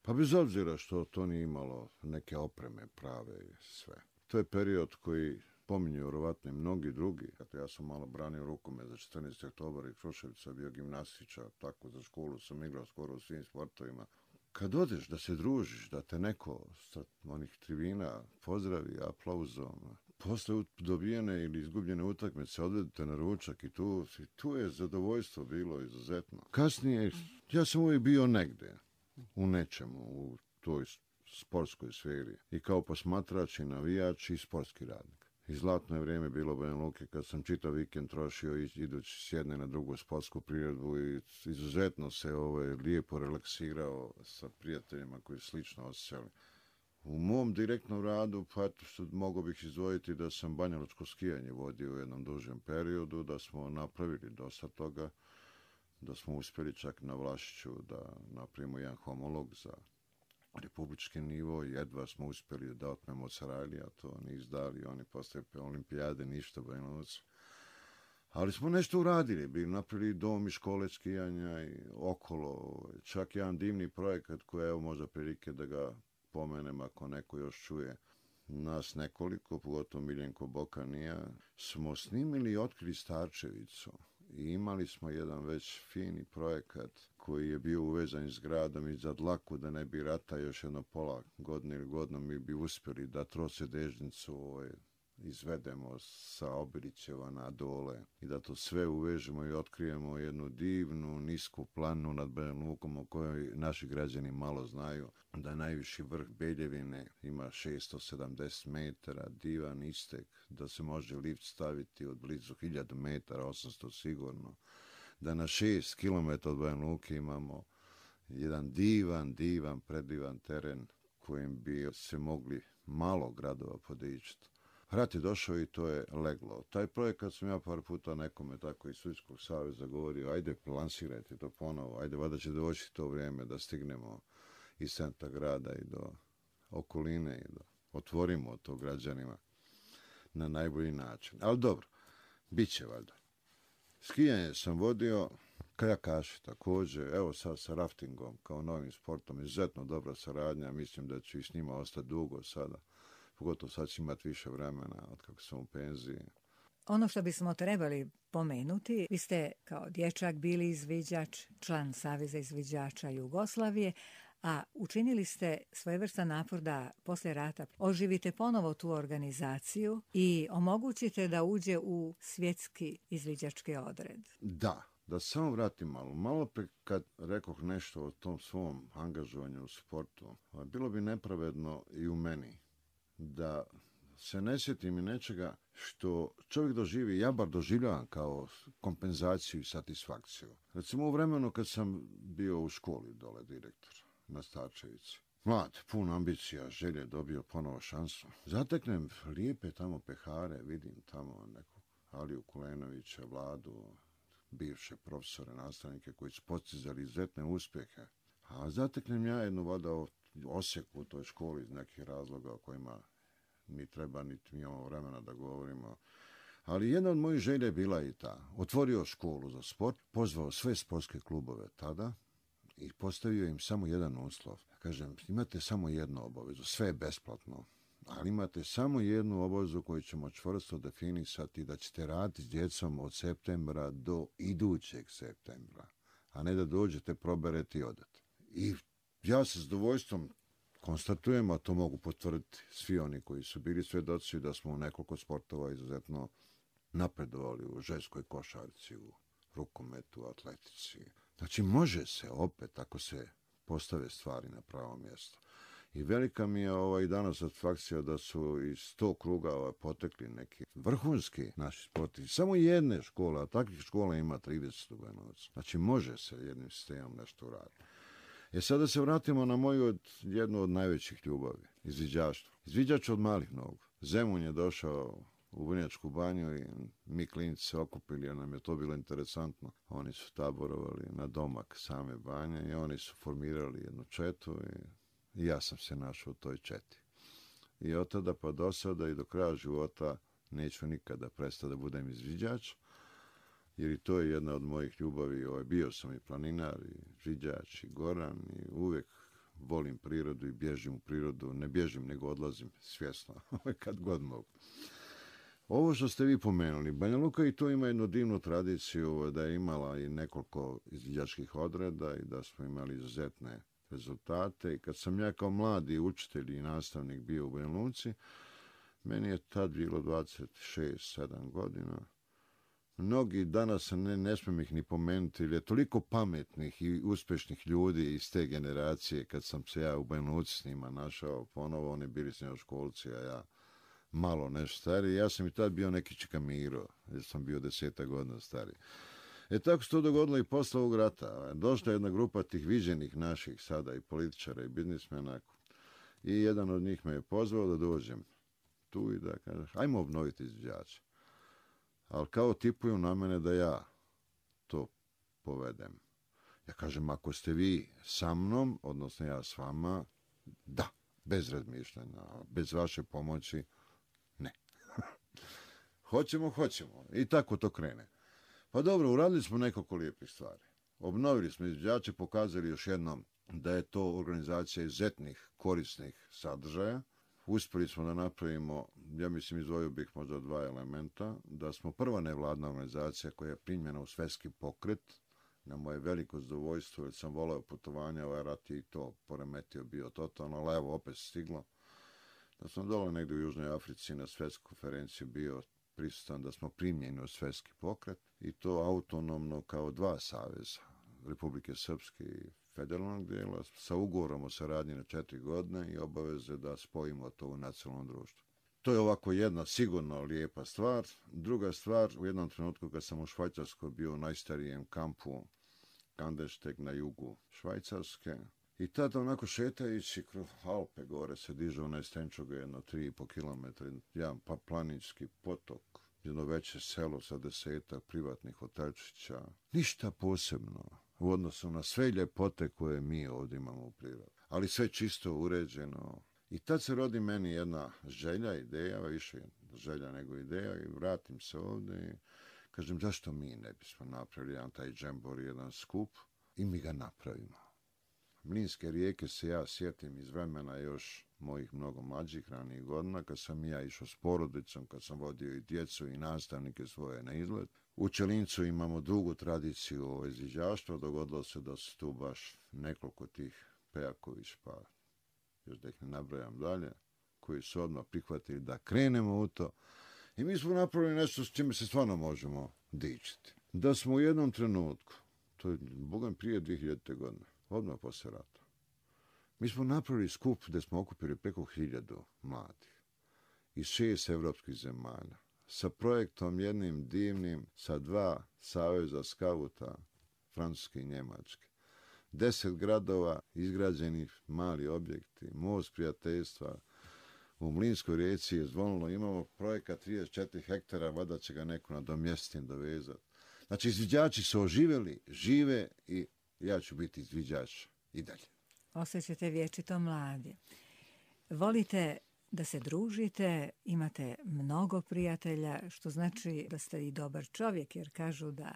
Pa bez obzira što to nije imalo neke opreme prave i sve. To je period koji pominju vjerovatno i mnogi drugi. Dakle, ja sam malo branio rukomet za četrnaesti oktobar i Kruševica, bio gimnastičar, tako za školu sam igrao skoro u svim sportovima. Kad odeš da se družiš, da te neko sa onih tribina pozdravi aplauzom, posle dobijene ili izgubljene utakmice odvedete na ručak i tu, i tu je zadovoljstvo bilo izuzetno. Kasnije, ja sam uvijek bio negde, u nečemu, u toj sportskoj sferi. I kao posmatrač i navijač i sportski radnik. I zlatno je vrijeme bilo Banja Luke kad sam čitav vikend trošio idući s jedne na drugu sportsku priredbu i izuzetno se ovaj, lijepo relaksirao sa prijateljima koji slično osjećali. U mom direktnom radu, pa eto, mogo bih izdvojiti da sam banjalučko skijanje vodio u jednom dužem periodu, da smo napravili dosta toga, da smo uspjeli čak na Vlašiću da napravimo jedan homolog za republički nivo, jedva smo uspjeli da otmemo od Sarajlija, to oni izdali, oni posle olimpijade ništa Banja Luci. Ali smo nešto uradili, bili napravili dom i škole skijanja i okolo, čak jedan divni projekat koji evo možda prilike da ga pomenem ako neko još čuje. Nas nekoliko, pogotovo Miljenko Bokanija, smo snimili i otkrili Starčevicu. I imali smo jedan već fini projekat koji je bio uvezan s gradom i za dlaku da ne bi rata još jedno pola godine ili godinu mi bi uspjeli da trosedežnicu ovaj, izvedemo sa Obirićeva na dole i da to sve uvežemo i otkrijemo jednu divnu, nisku planu nad Banja Lukom o kojoj naši građani malo znaju, da je najviši vrh Beljevine, ima šesto sedamdeset metara, divan istek, da se može lift staviti od blizu hiljadu metara, osamsto sigurno, da na šest kilometara od Banja Luke imamo jedan divan, divan, predivan teren kojim bi se mogli malo gradova podičiti. Rat je došao i to je leglo. Taj projekat sam ja par puta nekome tako iz Svjetskog saveza govorio, ajde lansirajte to ponovo, ajde vada će doći to vrijeme da stignemo iz centra grada i do okoline i da otvorimo to građanima na najbolji način. Ali dobro, bit će valjda. Skijanje sam vodio, kajakaši također, evo sad sa raftingom kao novim sportom, izuzetno dobra saradnja, mislim da ću i s njima ostati dugo sada. Pogotovo sad će imati više vremena od kako sam u penziji. Ono što bismo trebali pomenuti, vi ste kao dječak bili izviđač, član Saveza izviđača Jugoslavije, a učinili ste svojevrstan napor da poslije rata oživite ponovo tu organizaciju i omogućite da uđe u svjetski izviđački odred. Da, da samo vratim malo. Malo pre kad rekoh nešto o tom svom angažovanju u sportu, bilo bi nepravedno i u meni da se ne sjetim i nečega što čovjek doživi, ja bar doživljavam kao kompenzaciju i satisfakciju. Recimo u vremenu kad sam bio u školi dole direktor na Starčevici, mlad, pun ambicija, želje, dobio ponovo šansu. Zateknem lijepe tamo pehare, vidim tamo nekog Aliju Kulenovića, Vladu, bivše profesore, nastavnike koji su postizali izuzetne uspjehe. A zateknem ja jednu voda osjeku u toj školi iz nekih razloga o kojima ni treba, niti mi imamo vremena da govorimo. Ali jedna od mojih želja je bila i ta. Otvorio školu za sport, pozvao sve sportske klubove tada i postavio im samo jedan uslov. Kažem, imate samo jednu obavezu, sve je besplatno, ali imate samo jednu obavezu koju ćemo čvrsto definisati da ćete raditi s djecom od septembra do idućeg septembra, a ne da dođete, proberete i odete. I ja sa zadovoljstvom konstatujem, a to mogu potvrditi svi oni koji su bili svjedoci da smo u nekoliko sportova izuzetno napredovali u ženskoj košarci, u rukometu, atletici. Znači može se opet ako se postave stvari na pravo mjesto. I velika mi je ovaj danas satisfakcija da su iz tog kruga ovaj, potekli neki vrhunski naši sporti. Samo jedne škole, a takvih škola ima trideset u Banja Luci. Znači može se jednim sistemom nešto uraditi. E sada se vratimo na moju od, jednu od najvećih ljubavi, izviđaštvo. Izviđač od malih nogu. Zemun je došao u Vrnjačku banju i mi klinici se okupili, jer nam je to bilo interesantno. Oni su taborovali na domak same banje i oni su formirali jednu četu i, i ja sam se našao u toj četi. I od tada pa do sada i do kraja života neću nikada prestati da budem izviđač, jer i to je jedna od mojih ljubavi. Ovaj, bio sam i planinar, i izviđač, i goran, i uvijek volim prirodu i bježim u prirodu. Ne bježim, nego odlazim svjesno, kad god mogu. Ovo što ste vi pomenuli, Banja Luka i to ima jednu divnu tradiciju da je imala i nekoliko izviđačkih odreda i da smo imali izuzetne rezultate. I kad sam ja kao mladi učitelj i nastavnik bio u Banja Luci, meni je tad bilo dvadeset šest sedam godina. Mnogi danas, ne, ne smijem ih ni pomenuti, jer je toliko pametnih i uspješnih ljudi iz te generacije, kad sam se ja u Banja Luci s njima našao ponovo, oni bili srednjoškolci, a ja malo nešto stariji. Ja sam i tad bio neki Čekamiro, jer sam bio deseta godina stariji. E tako se to dogodilo i posle ovog rata. Došla je jedna grupa tih viđenih naših sada i političara i biznismena i jedan od njih me je pozvao da dođem tu i da kaže, ajmo obnoviti izviđače. Ali kao tipuju na mene da ja to povedem. Ja kažem, ako ste vi sa mnom, odnosno ja s vama, da, bez razmišljanja, bez vaše pomoći, ne. Hoćemo, hoćemo. I tako to krene. Pa dobro, uradili smo nekoliko lijepih stvari. Obnovili smo izviđače, pokazali još jednom da je to organizacija izuzetnih korisnih sadržaja. Uspjeli smo da napravimo, ja mislim izdvojio bih možda dva elementa, da smo prva nevladna organizacija koja je primljena u svjetski pokret na moje veliko zadovoljstvo, jer sam voleo putovanja, ovaj rat je i to poremetio bio totalno, ali evo opet stiglo. Da sam dole negdje u Južnoj Africi na svjetskoj konferenciji bio prisutan, da smo primljeni u svjetski pokret i to autonomno kao dva saveza, Republike Srpske i federalnog dijela, sa ugovorom o saradnji na četiri godine i obaveze da spojimo to u nacionalnom društvu. To je ovako jedna sigurno lijepa stvar. Druga stvar, u jednom trenutku kad sam u Švajcarskoj bio u najstarijem kampu Kandersteg na jugu Švajcarske, i tada onako šetajući kroz Alpe gore se diže onaj Stenčuga jedno tri i po kilometra, jedan pa planinski potok, jedno veće selo sa desetak privatnih hotelčića. Ništa posebno u odnosu na sve ljepote koje mi ovdje imamo u prirodi. Ali sve čisto uređeno. I tad se rodi meni jedna želja, ideja, više želja nego ideja i vratim se ovdje i kažem zašto mi ne bismo napravili jedan taj džembor, jedan skup i mi ga napravimo. Mlinske rijeke se ja sjetim iz vremena još mojih mnogo mlađih ranijih godina, kad sam ja išao s porodicom, kad sam vodio i djecu i nastavnike svoje na izlet. U Čelincu imamo dugu tradiciju izviđaštva, dogodilo se da su tu baš nekoliko tih Pejaković, pa još da ih ne nabrajam dalje, koji su odmah prihvatili da krenemo u to. I mi smo napravili nešto s čime se stvarno možemo dičiti. Da smo u jednom trenutku, to je bogom prije dvije hiljadite. godine, odmah poslije rata, mi smo napravili skup gdje smo okupili preko hiljadu mladih iz šest evropskih zemalja, sa projektom jednim divnim, sa dva saveza skauta, francuske i njemačke. Deset gradova, izgrađenih mali objekti, most prijateljstva. U Mlinskoj rijeci je zvonilo, imamo projekat trideset četiri hektara, vada će ga neko nadomjestiti, dovezati. Znači, izviđači su oživjeli, žive i ja ću biti izviđač i dalje. Osjećate vječito mladi. Volite da se družite, imate mnogo prijatelja, što znači da ste i dobar čovjek, jer kažu da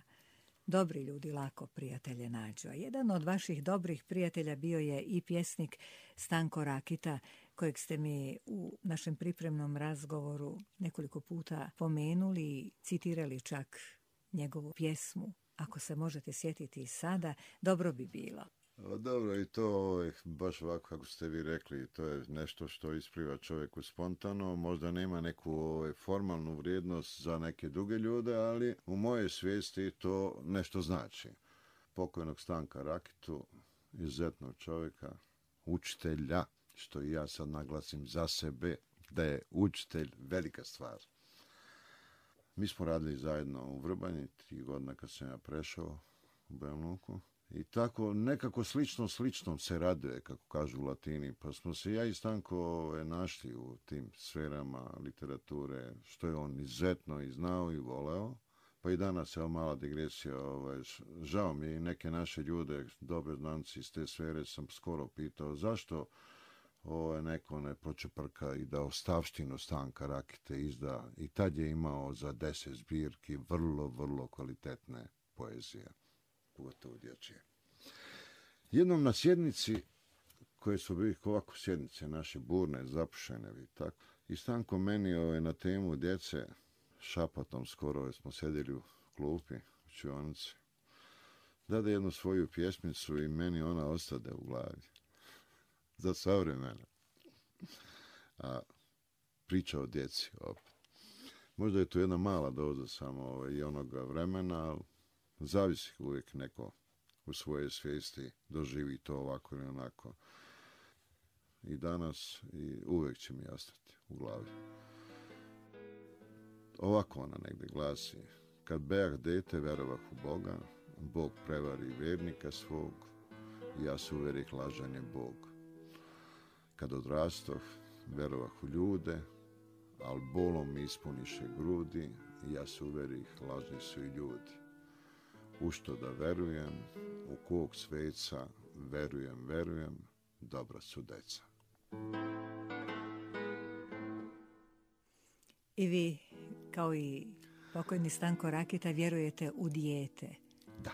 dobri ljudi lako prijatelje nađu. A jedan od vaših dobrih prijatelja bio je i pjesnik Stanko Rakita, kojeg ste mi u našem pripremnom razgovoru nekoliko puta pomenuli i citirali čak njegovu pjesmu. Ako se možete sjetiti i sada, dobro bi bilo. O, dobro, i to je baš ovako kako ste vi rekli, to je nešto što ispliva čovjeku spontano, možda nema neku ovaj, formalnu vrijednost za neke druge ljude, ali u mojoj svijesti to nešto znači. Pokojnog Stanka Rakitu, izuzetnog čovjeka, učitelja, što i ja sad naglasim za sebe, da je učitelj velika stvar. Mi smo radili zajedno u Vrbanji, tri godina kad sam ja prešao u Banja Luku. I tako nekako slično sličnom se raduje, kako kažu u Latini, pa smo se ja i Stanko našli u tim sferama literature, što je on izuzetno i znao i voleo. Pa i danas je mala digresija, ovaj, žao mi je i neke naše ljude, dobre znanci iz te sfere, sam skoro pitao zašto ovaj, neko ne počeprka i da ostavštinu Stanka Rakite izda. I tad je imao za deset zbirki vrlo, vrlo kvalitetne poezije, pogotovo dječje. Jednom na sjednici, koje su bili ovako sjednice naše burne, zapušene i tako, i Stanko meni ovaj, na temu djece, šapatom skoro smo sjedili u klupi, u čionici, dade jednu svoju pjesmicu i meni ona ostade u glavi. Za sva vremena. A priča o djeci opet. Možda je to jedna mala doza samo ovaj, i onoga vremena, ali zavisi uvijek neko u svojoj svijesti doživi to ovako ili onako. I danas i uvijek će mi ostati u glavi. Ovako ona negdje glasi: kad bejah dete verovah u Boga, Bog prevari vjernika svog, ja se uverih lažan je Bog. Kad odrastoh, verovah u ljude, al bolom mi ispuniše grudi, ja se uverih lažni su i ljudi. U što da verujem, u kog sveca, verujem, verujem, dobra su deca. I vi, kao i pokojni Stanko Rakita, vjerujete u dijete? Da.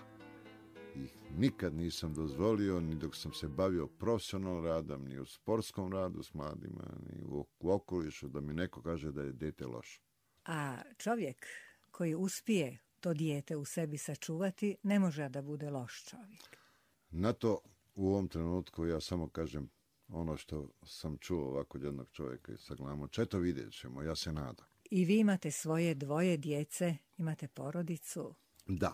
I nikad nisam dozvolio, ni dok sam se bavio profesionalnom radom, ni u sportskom radu s mladima, ni u, u okolišu, da mi neko kaže da je dijete loše. A čovjek koji uspije to dijete u sebi sačuvati, ne može da bude loš čovjek. Na to u ovom trenutku ja samo kažem ono što sam čuo ovako od jednog čovjeka i sagledamo. Četo vidjet ćemo, ja se nadam. I vi imate svoje dvoje djece, imate porodicu? Da,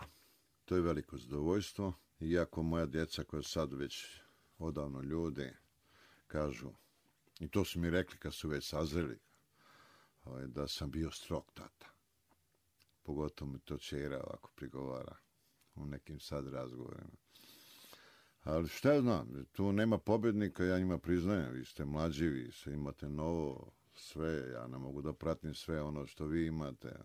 to je veliko zadovoljstvo. Iako moja djeca koja sad već odavno ljudi kažu, i to su mi rekli kad su već sazreli, da sam bio strog tata. Pogotovo mi to čera ovako prigovara u nekim sad razgovorima. Ali šta ja znam, tu nema pobjednika, ja njima priznajem, vi ste mlađi, vi se imate novo, sve, ja ne mogu da pratim sve ono što vi imate.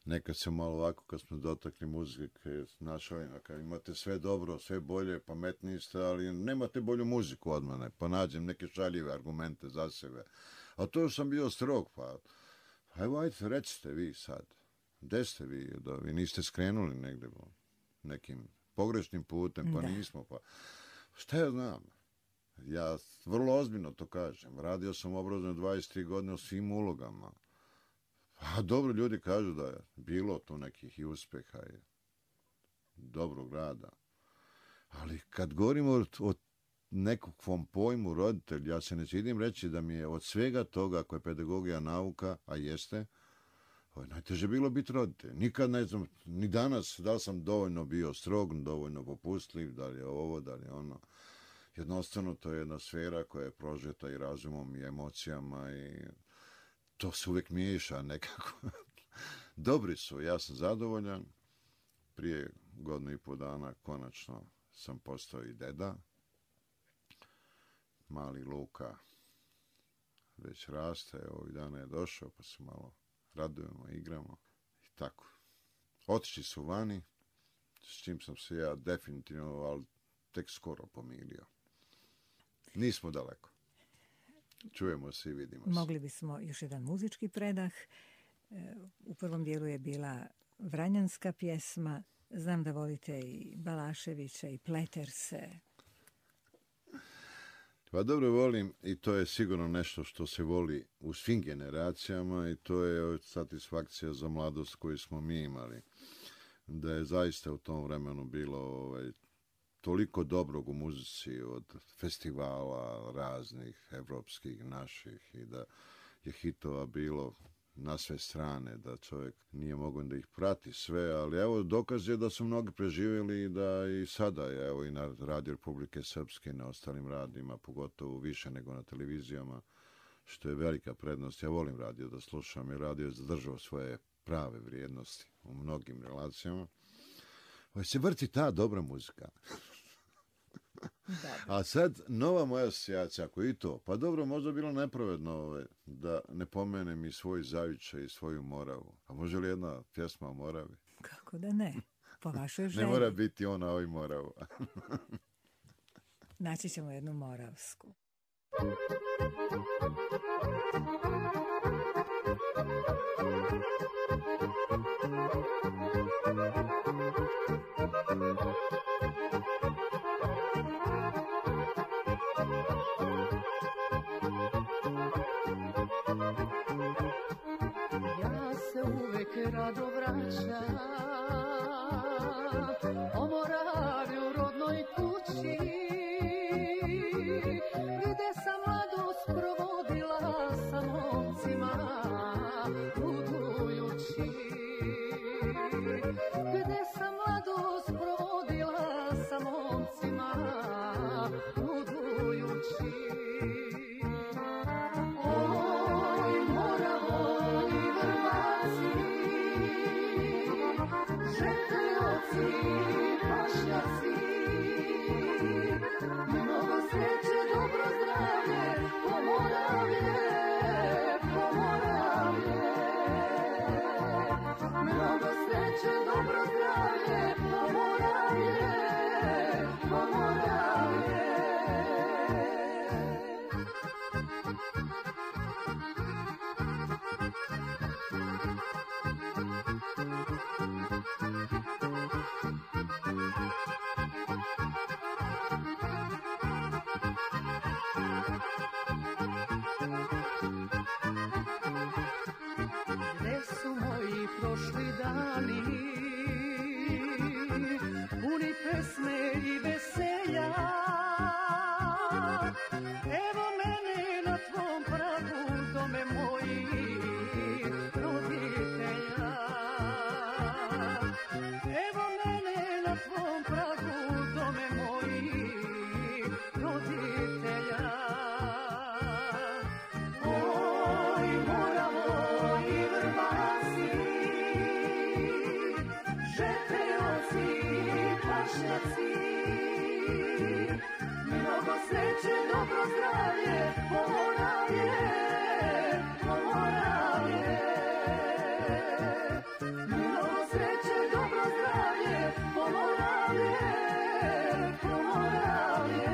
Nekad se malo ovako, kad smo dotakli muzike, našao kad imate sve dobro, sve bolje, pametniji ste, ali nemate bolju muziku od mene, pa nađem neke šaljive argumente za sebe. A to sam bio strog, pa evo, ajde, recite vi sad, gde ste vi, da vi niste skrenuli negde nekim pogrešnim putem, pa da. Nismo, pa šta ja znam? Ja vrlo ozbiljno to kažem. Radio sam obrazovno dvadeset tri godine u svim ulogama. A dobro, ljudi kažu da je bilo tu nekih i uspeha i dobrog rada. Ali kad govorimo o, o nekakvom pojmu roditelj, ja se ne čidim reći da mi je od svega toga, ako je pedagogija nauka, a jeste, najteže bilo biti roditelj. Nikad ne znam, ni danas, da li sam dovoljno bio strog, dovoljno popustljiv, da li je ovo, da li je ono. Jednostavno, to je jedna sfera koja je prožeta i razumom i emocijama i to se uvijek miješa nekako. Dobri su, ja sam zadovoljan. Prije godinu i pol dana konačno sam postao i deda. Mali Luka već raste, ovih dana je došao, pa se malo radujemo, igramo i tako. Otišli su vani, s čim sam se ja definitivno, ali tek skoro pomirio. Nismo daleko. Čujemo se i vidimo se. Mogli bismo još jedan muzički predah. U prvom dijelu je bila vranjanska pjesma. Znam da volite i Balaševića i Pleterse. Pa dobro volim i to je sigurno nešto što se voli u svim generacijama i to je satisfakcija za mladost koju smo mi imali. Da je zaista u tom vremenu bilo ovaj, toliko dobrog u muzici od festivala raznih, evropskih, naših i da je hitova bilo na sve strane, da čovjek nije mogao da ih prati sve, ali evo dokaz je da su mnogi preživjeli i da i sada je, evo i na Radio Republike Srpske i na ostalim radijima, pogotovo više nego na televizijama, što je velika prednost. Ja volim radio da slušam jer radio je zadržao svoje prave vrijednosti u mnogim relacijama. Ovo se vrti ta dobra muzika. A sad, nova moja asocijacija, ako i to, pa dobro, možda bilo nepravedno ove, da ne pomenem i svoj zavičaj i svoju Moravu. A može li jedna pjesma o Moravi? Kako da ne? Po vašoj želji. Ne mora biti ona o Moravu. Naći ćemo jednu moravsku. Ja se uvek rado vraćam o Moravi u rodnoj kući, gde sam mladost provodila sa momcima ludujući, gde sam mladost provodila sa momcima ludujući. Oj, Moravo i Vrbaci, si. Mnogo sreće, dobro zdravlje, Pomoravlje, Pomoravlje. Mnogo sreće, dobro zdravlje, Pomoravlje, Pomoravlje.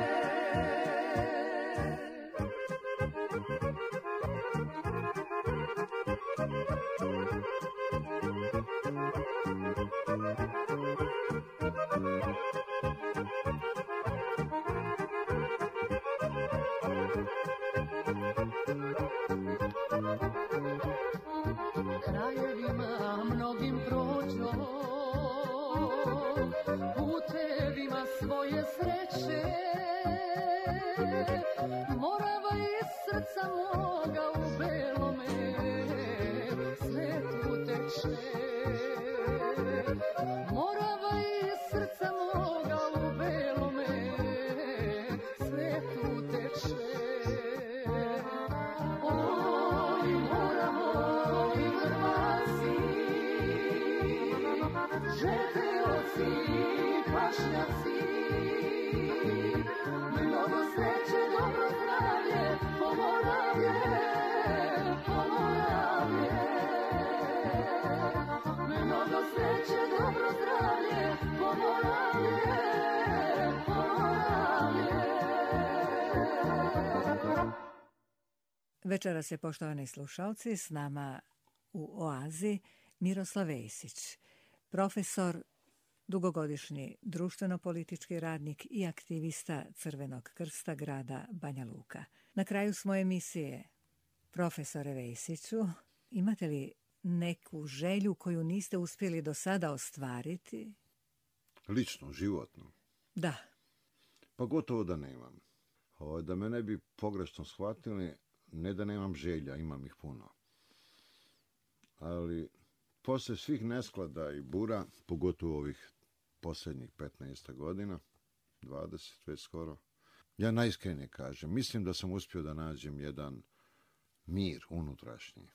Krajevima mnogim prođo, putevima svoje sreće, Morava iz srca moga u belome svetu teče. Morava iz srca moga u belome svetu teče. Oj, Moravo i Hrvasi, žeteoci, pašnjaci, mnogo sreće, dobro zdravlje, Pomoravlje, Pomoravlje. Mnogo sreće, dobro zdravlje, Pomoravlje, Pomoravlje. Večeras je, poštovani slušalci, s nama u Oazi Miroslav Vejsić, profesor, dugogodišnji društveno-politički radnik i aktivista Crvenog krsta grada Banja Luka. Na kraju smo emisije. Profesore Vejsiću, imate li neku želju koju niste uspjeli do sada ostvariti? Lično, životno. Da. Pa gotovo da nemam. O, da me ne bi pogrešno shvatili, ne da nemam želja, imam ih puno. Ali poslije svih nesklada i bura, pogotovo ovih posljednjih petnaest godina, dvadeset već skoro, ja najiskrenije kažem, mislim da sam uspio da nađem jedan mir unutrašnji.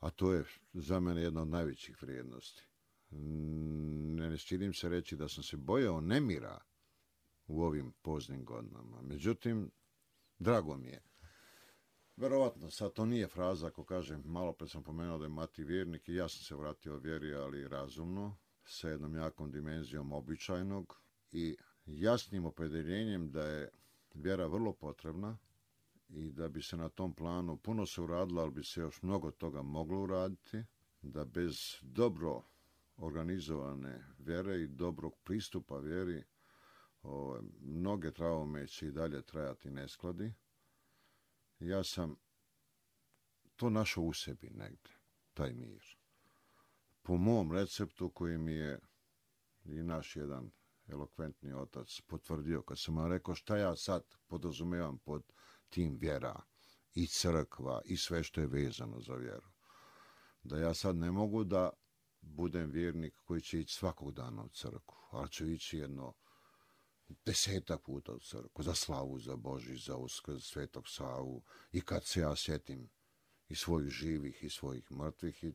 A to je za mene jedna od najvećih vrijednosti. Ne stidim se reći da sam se bojao nemira u ovim poznim godinama. Međutim, drago mi je. Verovatno, sad to nije fraza ako kažem, malo pre sam pomenuo da je Mati vjernik i ja sam se vratio vjeri, ali razumno, sa jednom jakom dimenzijom običajnog i jasnim opredeljenjem da je vjera vrlo potrebna i da bi se na tom planu puno se uradilo, ali bi se još mnogo toga moglo uraditi, da bez dobro organizovane vjere i dobrog pristupa vjeri o, mnoge traume će i dalje trajati neskladi. Ja sam to našao u sebi negdje, taj mir. Po mom receptu koji mi je i naš jedan elokventni otac potvrdio, kad sam vam rekao šta ja sad podrazumevam pod tim vjera i crkva i sve što je vezano za vjeru. Da ja sad ne mogu da budem vjernik koji će ići svakog dana u crkvu, ali ću ići jedno desetak puta u crkvu, za slavu, za Božić, za Uskrs, Svetog Savu i kad se ja sjetim i svojih živih i svojih mrtvih i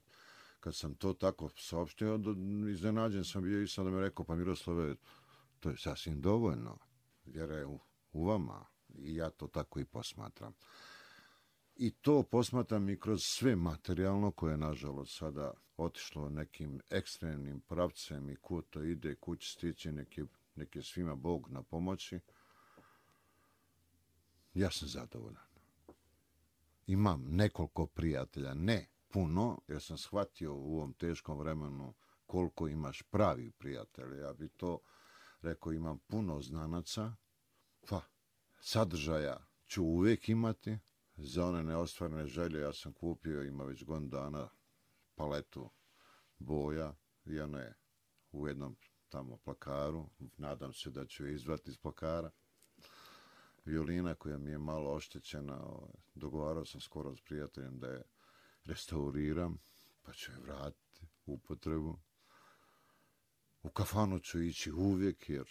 kad sam to tako saopštio, iznenađen sam bio i sam da mi rekao, pa Miroslave, to je sasvim dovoljno, vjera je u, u vama i ja to tako i posmatram. I to posmatram i kroz sve materijalno koje je nažalost sada otišlo nekim ekstremnim pravcem i kud to ide, kuć stići, neki nek je svima Bog na pomoći, ja sam zadovoljan. Imam nekoliko prijatelja, ne puno, jer sam shvatio u ovom teškom vremenu koliko imaš pravi prijatelja. Ja bi to rekao, imam puno znanaca, pa sadržaja ću uvijek imati. Za one neostvarene želje ja sam kupio, ima već godinu dana, paletu boja i ona je u jednom tamo plakaru, nadam se da ću je izvati iz plakara. Violina koja mi je malo oštećena, dogovarao sam skoro s prijateljem da je restauriram, pa ću je vratiti u upotrebu. U kafanu ću ići uvijek, jer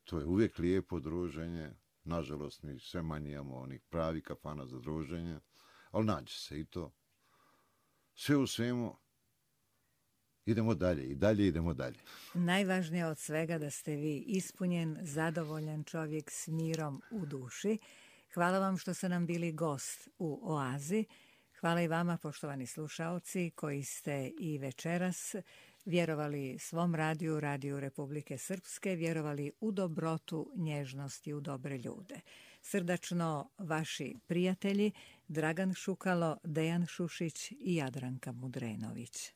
to je uvijek lijepo druženje. Nažalost, mi sve manje imamo onih pravi kafana za druženje, ali nađe se i to. Sve u svemu, idemo dalje i dalje idemo dalje. Najvažnije od svega da ste vi ispunjen, zadovoljan čovjek s mirom u duši. Hvala vam što ste nam bili gost u Oazi. Hvala i vama, poštovani slušaoci, koji ste i večeras vjerovali svom radiju, Radiju Republike Srpske, vjerovali u dobrotu, nježnost i u dobre ljude. Srdačno vaši prijatelji Dragan Šukalo, Dejan Šušić i Jadranka Mudrenović.